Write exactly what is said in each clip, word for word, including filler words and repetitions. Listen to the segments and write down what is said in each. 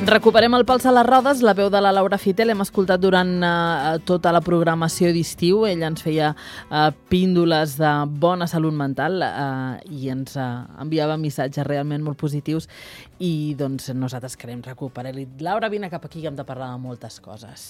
Recuperem el Pals a les rodes, la veu de la Laura Fité, l'hem escoltat durant uh, tota la programació d'estiu. Ella ens feia uh, píndoles de bona salut mental uh, i ens uh, enviava missatges realment molt positius i doncs nosaltres querem recuperar-li. Laura, vine cap aquí que hem de parlar de moltes coses.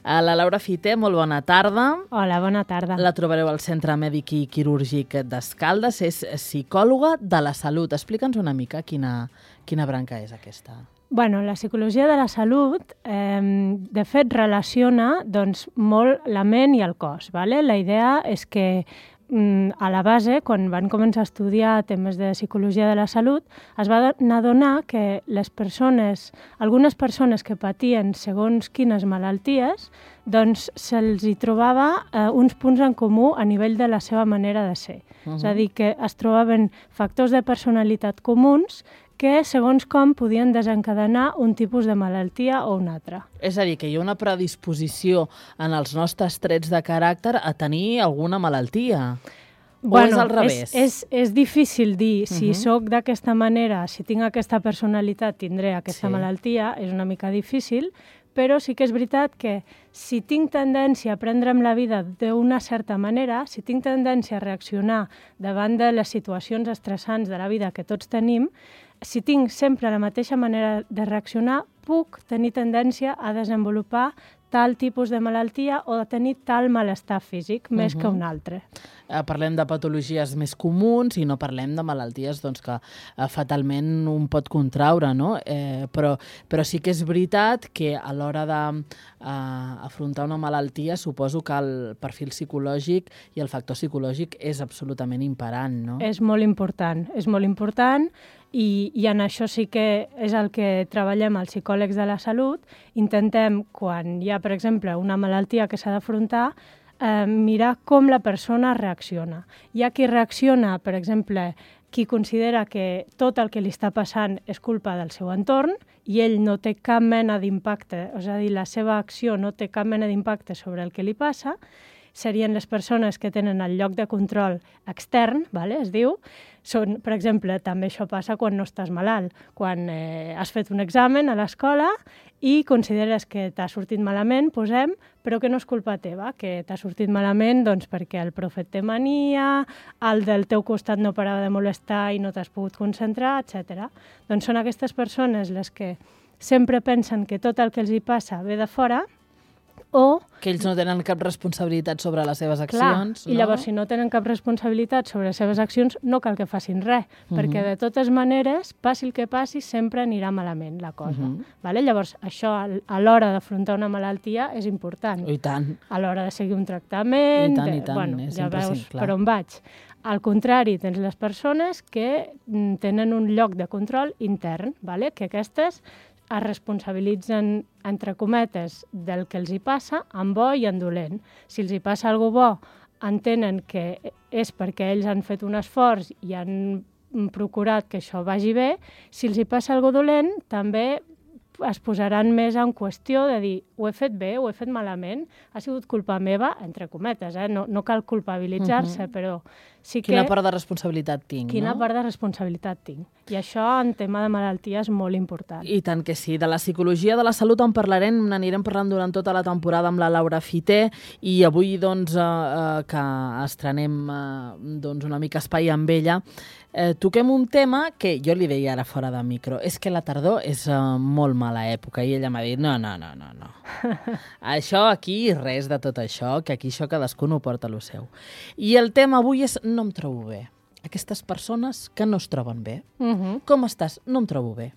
Uh, la Laura Fité, molt bona tarda. Hola, bona tarda. La trobareu al Centre Mèdic i Quirúrgic d'Escaldes, és psicòloga de la salut. Explica'ns una mica quina, quina branca és aquesta. Bueno, la psicologia de la salut, eh, de fet, relaciona doncs, molt la ment i el cos. Vale? La idea és que mm, a la base, quan van començar a estudiar temes de psicologia de la salut, es va adonar que les persones, algunes persones que patien segons quines malalties, doncs se'ls hi trobava eh, uns punts en comú a nivell de la seva manera de ser. Uh-huh. És a dir, que es trobaven factors de personalitat comuns que, segons com, podien desencadenar un tipus de malaltia o un altre. És a dir, que hi ha una predisposició en els nostres trets de caràcter a tenir alguna malaltia. Bueno, o és al revés? És, és, és difícil dir si Uh-huh. sóc d'aquesta manera, si tinc aquesta personalitat, tindré aquesta Sí. malaltia, és una mica difícil, però sí que és veritat que si tinc tendència a prendre'm la vida d'una certa manera, si tinc tendència a reaccionar davant de les situacions estressants de la vida que tots tenim, si tinc sempre la mateixa manera de reaccionar, puc tenir tendència a desenvolupar tal tipus de malaltia o de tenir tal malestar físic, més Uh-huh. que un altre. Eh, parlem de patologies més comuns i no parlem de malalties doncs, que eh, fatalment un pot contraure, no? Eh, però, però sí que és veritat que a l'hora d'afrontar una malaltia suposo que el perfil psicològic i el factor psicològic és absolutament imperant, no? És molt important, és molt important i, i en això sí que és el que treballem els psicòlegs de la salut. Intentem, quan hi ha, per exemple, una malaltia que s'ha d'afrontar, eh, mirar com la persona reacciona. Hi ha qui reacciona, per exemple, qui considera que tot el que li està passant és culpa del seu entorn i ell no té cap mena d'impacte, és a dir, la seva acció no té cap mena d'impacte sobre el que li passa, serien les persones que tenen el lloc de control extern, vale? Es diu. Són, per exemple, també això passa quan no estàs malalt, quan eh, has fet un examen a l'escola i consideres que t'ha sortit malament, posem, però que no és culpa teva, que t'ha sortit malament doncs, perquè el profe et té mania, el del teu costat no parava de molestar i no t'has pogut concentrar, etcètera. Doncs són aquestes persones les que sempre pensen que tot el que els hi passa ve de fora, o que ells no tenen cap responsabilitat sobre les seves clar, accions. i llavors si no tenen cap responsabilitat sobre les seves accions no cal que facin res, uh-huh. perquè de totes maneres, passi el que passi, sempre anirà malament la cosa. Uh-huh. Vale? Llavors això a l'hora d'afrontar una malaltia és important. I tant. A l'hora de seguir un tractament, I tant, de, i tant. bueno, és ja veus imprescindible. per on vaig. Al contrari, tens les persones que mm, tenen un lloc de control intern, vale? Que aquestes es responsabilitzen, entre cometes, del que els hi passa, en bo i en dolent. Si els hi passa alguna bo, entenen que és perquè ells han fet un esforç i han procurat que això vagi bé. Si els hi passa alguna dolent, també es posaran més en qüestió de dir ho he fet bé, ho he fet malament, ha sigut culpa meva, entre cometes, eh? no, no cal culpabilitzar-se, uh-huh. però sí que... Quina part de responsabilitat tinc, Quina no? part de responsabilitat tinc. I això, en tema de malaltia, és molt important. I tant que sí. De la psicologia de la salut en parlarem, n'anirem parlant durant tota la temporada amb la Laura Fité i avui, doncs, eh, eh, que estrenem eh, doncs, una mica espai amb ella, eh, toquem un tema que jo li deia ara fora de micro. És que la tardor és eh, molt mala època i ella m'ha dit no, no, no, no, no. Això aquí, res de tot això, que aquí això cadascú no porta lo seu. I el tema avui és no em trobo bé. Aquestes persones que no es troben bé. Uh-huh. Com estàs? No em trobo bé.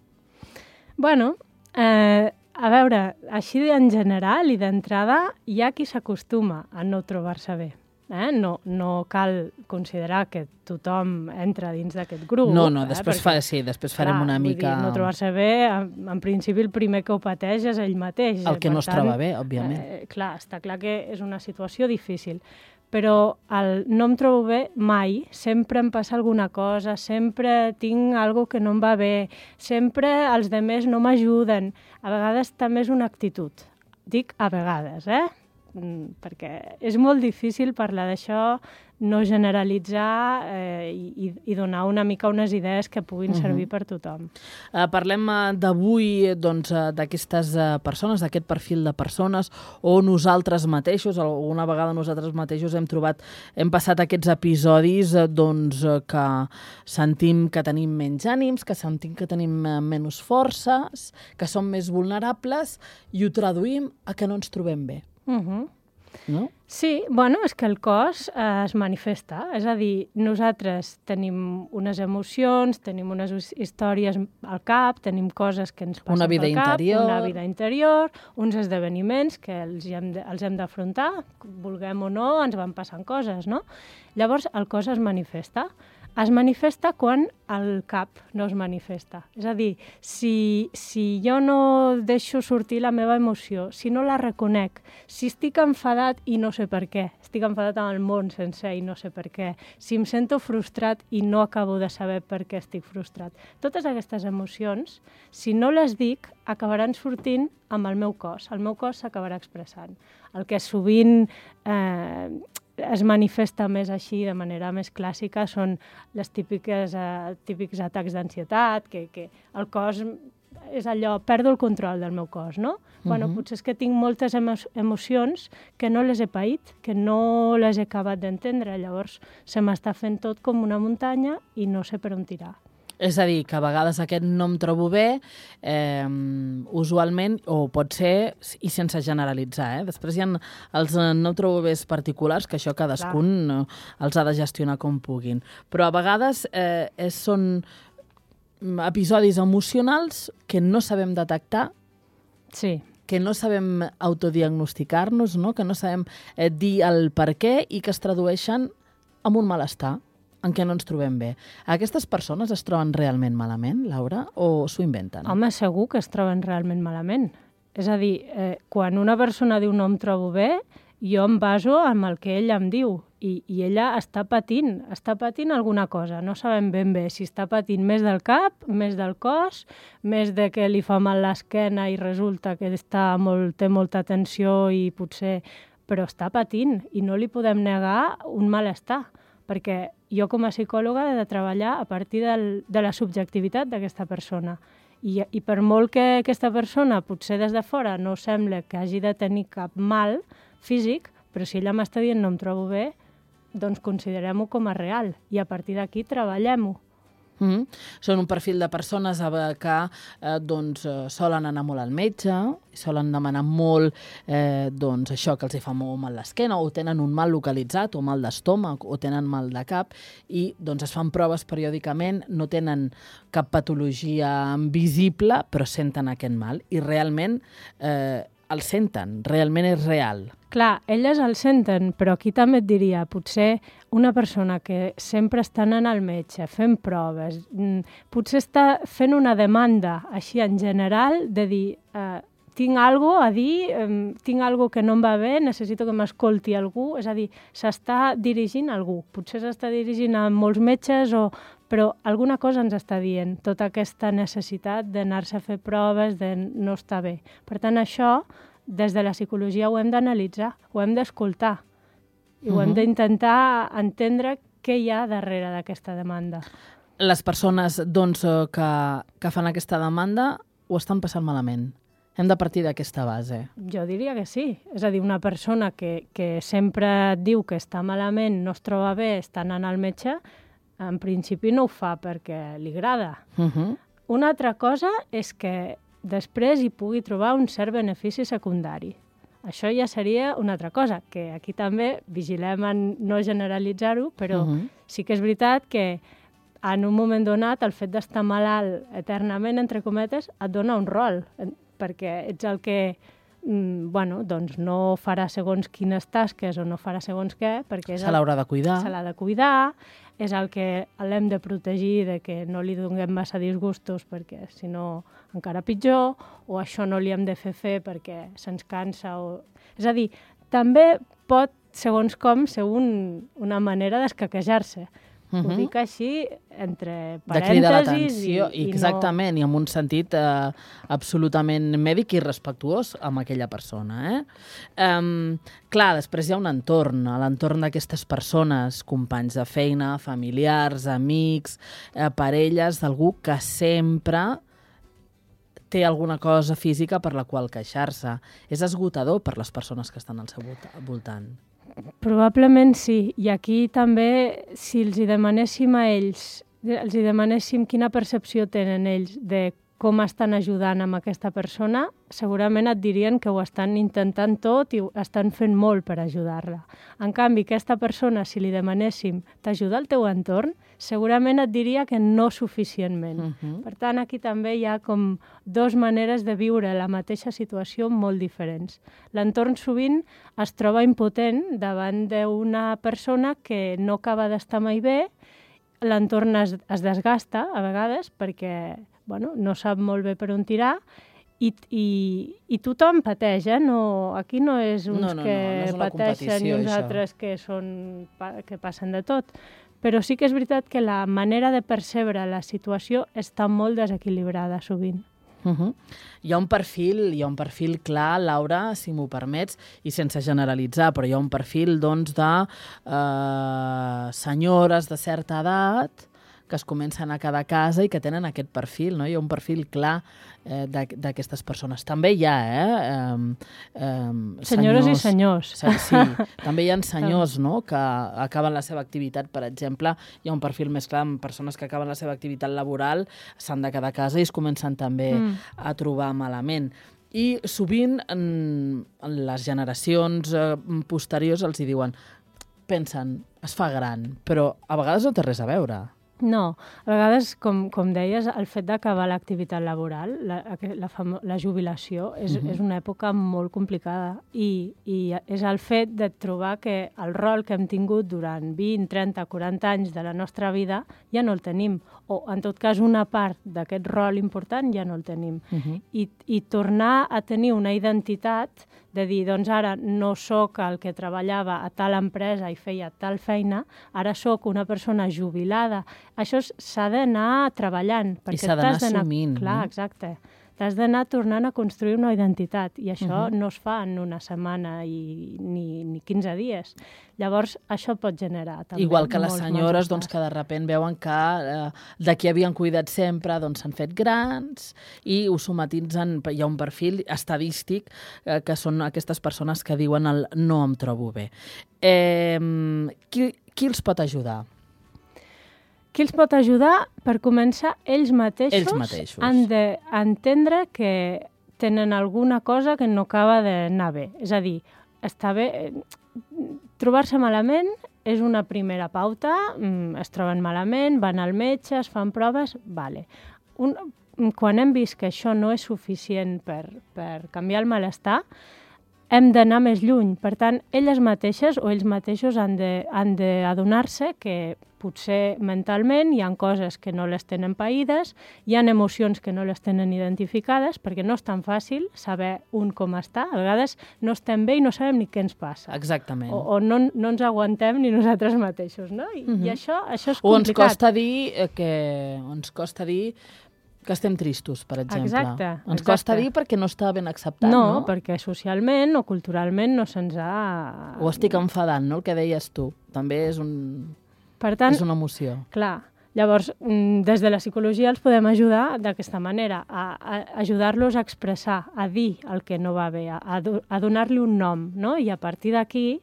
Bueno, eh, a veure, així en general i d'entrada hi ha qui s'acostuma a no trobar-se bé. Eh? No, no cal considerar que tothom entra dins d'aquest grup. No, no, eh? després, Perquè, fa, sí, després farem clar, una vull mica... Dir, no trobar-se bé, en, en principi el primer que ho pateix és ell mateix. El que Per no es tant, troba bé, òbviament. Eh, clar, està clar que és una situació difícil, però el no em trobo bé mai, sempre em passa alguna cosa, sempre tinc alguna que no em va bé, sempre els demés no m'ajuden. A vegades també és una actitud. Dic a vegades, eh? perquè és molt difícil parlar d'això no generalitzar eh, i, i donar una mica unes idees que puguin uh-huh. servir per tothom. Uh, parlem uh, d'avui doncs, uh, d'aquestes uh, persones, d'aquest perfil de persones, o nosaltres mateixos, alguna vegada nosaltres mateixos hem trobat, hem passat aquests episodis uh, doncs, uh, que sentim que tenim menys ànims, que sentim que tenim uh, menys forces, que som més vulnerables, i ho traduïm a que no ens trobem bé. Uh-huh. No? Sí, bueno, és que el cos eh, es manifesta, és a dir, nosaltres tenim unes emocions, tenim unes històries al cap, tenim coses que ens passen una vida pel cap, interior. una vida interior, uns esdeveniments que els hem de, els hem d'afrontar, vulguem o no, ens van passant coses, no? Llavors, el cos es manifesta. Es manifesta quan el cap no es manifesta. És a dir, si, si jo no deixo sortir la meva emoció, si no la reconec, si estic enfadat i no sé per què, estic enfadat amb el món sencer i no sé per què, si em sento frustrat i no acabo de saber per què estic frustrat. Totes aquestes emocions, si no les dic, acabaran sortint amb el meu cos. El meu cos s'acabarà expressant. El que sovint eh, es manifesta més així, de manera més clàssica, són les típiques, eh, típics atacs d'ansietat, que, que el cos és allò, perdo el control del meu cos, no? Uh-huh. Bueno, potser és que tinc moltes emo emocions que no les he paït, que no les he acabat d'entendre, llavors se m'està fent tot com una muntanya i no sé per on tirar. És a dir, que a vegades aquest no em trobo bé, eh, usualment, o pot ser, i sense generalitzar, eh? Després hi ha els no em trobo bé particulars, que això cadascun Clar. els ha de gestionar com puguin. Però a vegades eh, és, són episodis emocionals que no sabem detectar, sí. que no sabem autodiagnosticar-nos, no? Que no sabem eh, dir el per què i que es tradueixen en un malestar en què no ens trobem bé. Aquestes persones es troben realment malament, Laura, o s'ho inventen? Home, segur que es troben realment malament. És a dir, eh, quan una persona diu no em trobo bé, jo em baso en el que ella em diu i, i ella està patint, està patint alguna cosa. No sabem ben bé si està patint més del cap, més del cos, més de que li fa mal l'esquena i resulta que està molt, té molta tensió i potser... Però està patint i no li podem negar un malestar, perquè jo com a psicòloga he de treballar a partir del, de la subjectivitat d'aquesta persona. I, I per molt que aquesta persona, potser des de fora, no sembla que hagi de tenir cap mal físic, però si ella m'està dient no em trobo bé, doncs considerem-ho com a real i a partir d'aquí treballem-ho. Mm-hmm. Són un perfil de persones que eh, doncs, eh, solen anar molt al metge, solen demanar molt eh, doncs, això que els hi fa molt mal l'esquena, o tenen un mal localitzat, o mal d'estómac, o tenen mal de cap, i doncs, es fan proves periòdicament, no tenen cap patologia visible, però senten aquest mal, i realment eh, el senten, realment és real. Clar, elles el senten, però aquí també et diria, potser una persona que sempre està anant al metge, fent proves, potser està fent una demanda així en general de dir eh, tinc alguna cosa a dir, eh, tinc alguna cosa que no em va bé, necessito que m'escolti algú, és a dir, s'està dirigint a algú, potser s'està dirigint a molts metges, o, però alguna cosa ens està dient, tota aquesta necessitat d'anar-se a fer proves, de no estar bé. Per tant, això des de la psicologia ho hem d'analitzar, ho hem d'escoltar i ho uh-huh. hem d'intentar entendre què hi ha darrere d'aquesta demanda. Les persones doncs, que, que fan aquesta demanda ho estan passant malament. Hem de partir d'aquesta base. Jo diria que sí. És a dir, una persona que, que sempre et diu que està malament, no es troba bé, està anant al metge, en principi no ho fa perquè li agrada. Uh-huh. Una altra cosa és que després hi pugui trobar un cert benefici secundari. Això ja seria una altra cosa, que aquí també vigilem en no generalitzar-ho, però uh-huh. sí que és veritat que en un moment donat el fet d'estar malalt eternament, entre cometes, et dona un rol, perquè ets el que mm, bueno, doncs no farà segons quines tasques o no farà segons què, perquè és se l'haurà de cuidar. Se l'ha de cuidar, és el que l'hem de protegir de que no li donem massa disgustos perquè si no encara pitjor, o això no li hem de fer fer perquè se'ns cansa. O... És a dir, també pot, segons com, ser un, una manera d'escaquejar-se, Uh -huh. Ho dic així, entre parèntesis. De cridar l'atenció, i, i exactament, no... i en un sentit eh, absolutament mèdic i respectuós amb aquella persona. Eh? Um, clar, després hi ha un entorn, l'entorn d'aquestes persones, companys de feina, familiars, amics, eh, parelles, d'algú que sempre té alguna cosa física per la qual queixar-se. És esgotador per les persones que estan al seu voltant. Probablement sí. I aquí també, si els hi demanéssim a ells, els hi demanéssim quina percepció tenen ells de com estan ajudant amb aquesta persona, segurament et dirien que ho estan intentant tot i ho estan fent molt per ajudar-la. En canvi, aquesta persona, si li demanéssim t'ajuda al teu entorn, segurament et diria que no suficientment. Uh -huh. Per tant, aquí també hi ha com dues maneres de viure la mateixa situació molt diferents. L'entorn sovint es troba impotent davant d'una persona que no acaba d'estar mai bé, l'entorn es, es desgasta a vegades perquè bueno, no sap molt bé per on tirar i, i, i tothom pateix, eh? No, aquí no és uns no, no, que no, no és pateixen i uns això. altres que, són, que passen de tot. Però sí que és veritat que la manera de percebre la situació està molt desequilibrada sovint. Uh -huh. Hi ha un perfil, hi ha un perfil clar, Laura, si m'ho permets, i sense generalitzar, però hi ha un perfil doncs, de eh, senyores de certa edat que es comencen a quedar a casa i que tenen aquest perfil, no? Hi ha un perfil clar eh, d'aquestes persones. També hi ha, eh? Um, um, senyores senyors, i senyors. Sí, també hi ha senyors, no?, que acaben la seva activitat, per exemple, hi ha un perfil més clar amb persones que acaben la seva activitat laboral, s'han de quedar a casa i es comencen també mm. a trobar malament. I sovint en, en les generacions eh, posteriors els hi diuen, pensen, es fa gran, però a vegades no té res a veure. No, a vegades, com, com deies, el fet d'acabar l'activitat laboral, la, la, la jubilació, és, uh-huh. és una època molt complicada i, i és el fet de trobar que el rol que hem tingut durant vint, trenta, quaranta anys de la nostra vida ja no el tenim, o en tot cas una part d'aquest rol important ja no el tenim. Uh-huh. I, I tornar a tenir una identitat de dir, doncs ara no sóc el que treballava a tal empresa i feia tal feina, ara sóc una persona jubilada. Això s'ha d'anar treballant. I s'ha d'anar assumint. Clar, exacte. T'has d'anar tornant a construir una identitat i això uh-huh. no es fa en una setmana i, ni, ni quinze dies. Llavors, això pot generar també igual que les senyores doncs, que de sobte veuen que eh, de qui havien cuidat sempre doncs, s'han fet grans i ho somatitzen. Hi ha un perfil estadístic eh, que són aquestes persones que diuen el no em trobo bé. Eh, qui, qui els pot ajudar? Qui els pot ajudar? Per començar, ells mateixos, ells mateixos. han d'entendre que tenen alguna cosa que no acaba d'anar bé. És a dir, està bé... Trobar-se malament és una primera pauta, es troben malament, van al metge, es fan proves, vale. Un, quan hem vist que això no és suficient per, per canviar el malestar, hem d'anar més lluny. Per tant, elles mateixes o ells mateixos han de, han d'adonar-se que potser mentalment hi ha coses que no les tenen païdes, hi ha emocions que no les tenen identificades, perquè no és tan fàcil saber un com està. A vegades no estem bé i no sabem ni què ens passa. Exactament. O, o no, no ens aguantem ni nosaltres mateixos, no? I, uh-huh. i això, això és complicat. O ens costa dir que... ens costa dir que estem tristos, per exemple. Exacte. Ens exacte. costa dir perquè no està ben acceptat, no? No, perquè socialment o culturalment no se'ns ha... O estic enfadant, no? El que deies tu. També és, un... per tant, és una emoció. Clar. Llavors, des de la psicologia els podem ajudar d'aquesta manera, a, a ajudar-los a expressar, a dir el que no va bé, a, a donar-li un nom, no? I a partir d'aquí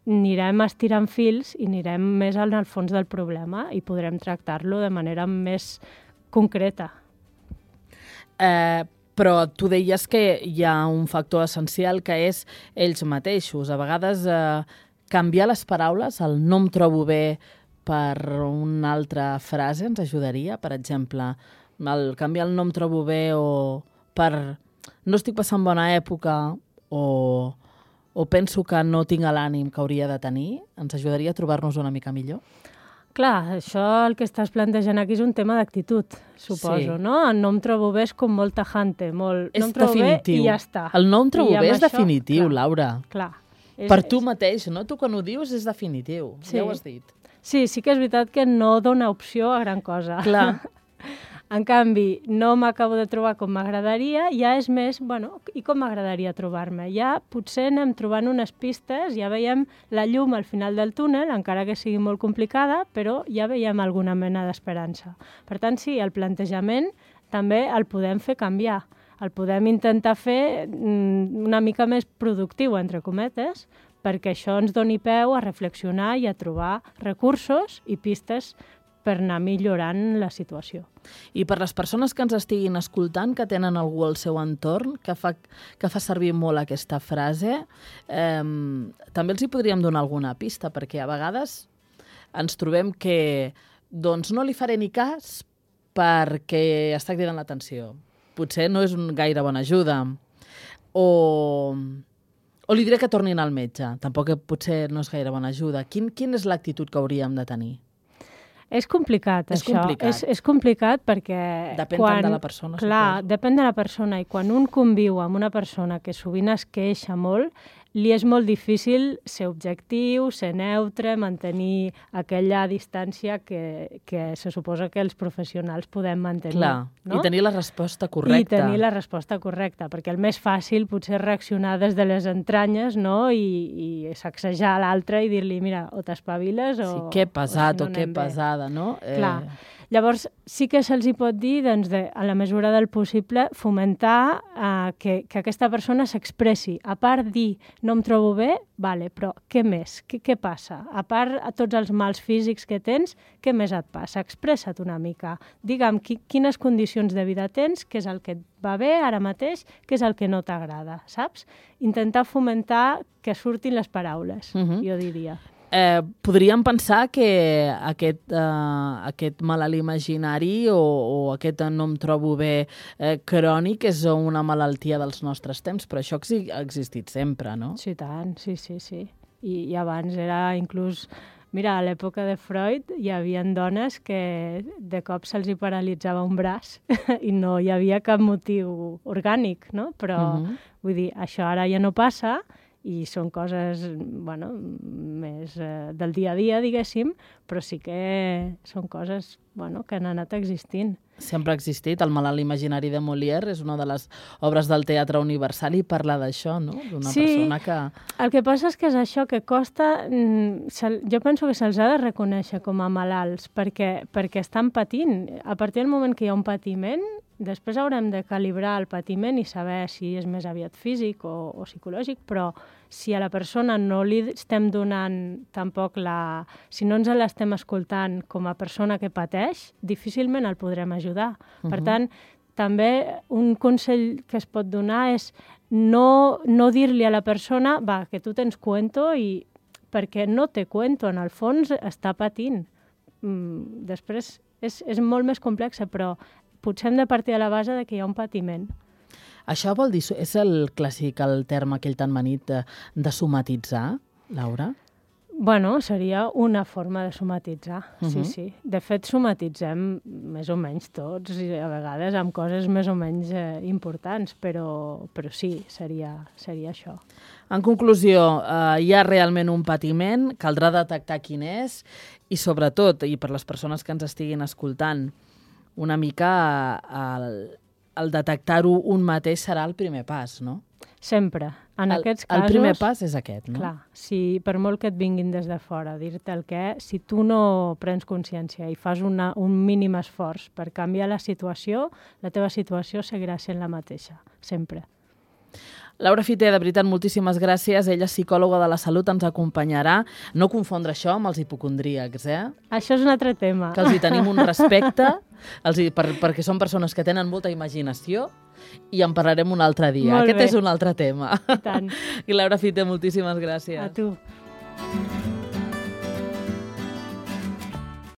anirem estirant fils i anirem més al fons del problema i podrem tractar-lo de manera més concreta. Eh, però tu deies que hi ha un factor essencial que és ells mateixos. A vegades eh, canviar les paraules, el no em trobo bé per una altra frase ens ajudaria. Per exemple, el canviar el no em trobo bé o per no estic passant bona època o, o penso que no tinc l'ànim que hauria de tenir, ens ajudaria a trobar-nos una mica millor? Clar, això el que estàs plantejant aquí és un tema d'actitud, suposo, sí. no? El no em trobo bé és com molt tajante, molt... És no em trobo definitiu. Bé i ja està. El no em trobo bé és això, definitiu, clar, Laura. Clar. És, per tu mateix, no? Tu quan ho dius és definitiu, sí. ja ho has dit. Sí, sí que és veritat que no dona opció a gran cosa. Clar. En canvi, no m'acabo de trobar com m'agradaria, ja és més, bueno, i com m'agradaria trobar-me? Ja potser anem trobant unes pistes, ja veiem la llum al final del túnel, encara que sigui molt complicada, però ja veiem alguna mena d'esperança. Per tant, sí, el plantejament també el podem fer canviar. El podem intentar fer una mica més productiu, entre cometes, perquè això ens doni peu a reflexionar i a trobar recursos i pistes per anar millorant la situació. I per les persones que ens estiguin escoltant, que tenen algú al seu entorn, que fa, que fa servir molt aquesta frase, eh, també els hi podríem donar alguna pista, perquè a vegades ens trobem que doncs, no li faré ni cas perquè està cridant l'atenció. Potser no és un gaire bona ajuda. O, o li diré que tornin al metge. Tampoc potser no és gaire bona ajuda. Quin, quin és l'actitud que hauríem de tenir? És complicat, és això. Complicat. És, és complicat perquè... Depèn quan, tant de la persona. Clar, suposo. Depèn de la persona. I quan un conviu amb una persona que sovint es queixa molt, li és molt difícil ser objectiu, ser neutre, mantenir aquella distància que, que se suposa que els professionals podem mantenir. Clar, no? I tenir la resposta correcta. I tenir la resposta correcta, perquè el més fàcil potser és reaccionar des de les entranyes, no? I, i sacsejar l'altre i dir-li, mira, o t'espaviles o... Sí, que pesat o, si no o que pesada, no? Clar. Eh... Llavors, sí que se'ls hi pot dir, doncs, de, a la mesura del possible, fomentar eh, que, que aquesta persona s'expressi. A part dir, no em trobo bé, vale, però què més? Què, què passa? A part a tots els mals físics que tens, què més et passa? Expressa't una mica. Digue'm qui, quines condicions de vida tens, què és el que et va bé ara mateix, què és el que no t'agrada, saps? Intentar fomentar que surtin les paraules, uh-huh. jo diria. Eh, podríem pensar que aquest, eh, aquest malalt imaginari o, o aquest no em trobo bé eh, crònic és una malaltia dels nostres temps, però això ha existit sempre, no? Sí, tant, sí, sí, sí. I, i abans era inclús... Mira, a l'època de Freud hi havia dones que de cop se'ls hi paralitzava un braç i no hi havia cap motiu orgànic, no? Però, uh-huh. vull dir, això ara ja no passa i són coses, bueno, més eh, del dia a dia, diguéssim, però sí que són coses, bueno, que han anat existint. Sempre ha existit. El malalt imaginari de Molière és una de les obres del teatre universal i parla d'això, no? D'una sí, persona que... el que passa és que és això que costa... Jo penso que se'ls ha de reconèixer com a malalts perquè, perquè estan patint. A partir del moment que hi ha un patiment, després haurem de calibrar el patiment i saber si és més aviat físic o, o psicològic, però si a la persona no li estem donant tampoc la... Si no ens l'estem escoltant com a persona que pateix, difícilment el podrem ajudar. Uh-huh. Per tant, també un consell que es pot donar és no, no dir-li a la persona va, que tu tens cuento, i perquè no té cuento, en el fons està patint. Mm, després és, és molt més complexa, però potser hem de partir de la base de que hi ha un patiment. Això vol dir, és el clàssic, el terme aquell tan manit de, de somatitzar, Laura? Bueno, seria una forma de somatitzar, uh-huh. sí, sí. De fet, somatitzem més o menys tots, i a vegades amb coses més o menys eh, importants, però, però sí, seria, seria això. En conclusió, eh, hi ha realment un patiment, caldrà detectar quin és, i sobretot, i per les persones que ens estiguin escoltant, una mica el, el detectar-ho un mateix serà el primer pas, no? Sempre. En el, aquests casos... El primer pas és aquest, no? Clar, si per molt que et vinguin des de fora a dir-te el què, si tu no prens consciència i fas una, un mínim esforç per canviar la situació, la teva situació seguirà sent la mateixa, sempre. Laura Fité, de veritat, moltíssimes gràcies. Ella, psicòloga de la salut, ens acompanyarà. No confondre això amb els hipocondríacs, eh? Això és un altre tema. Que els hi tenim un respecte, els hi, per, perquè són persones que tenen molta imaginació, i en parlarem un altre dia. Molt Aquest bé. és un altre tema. I tant. I Laura Fité, moltíssimes gràcies. A tu.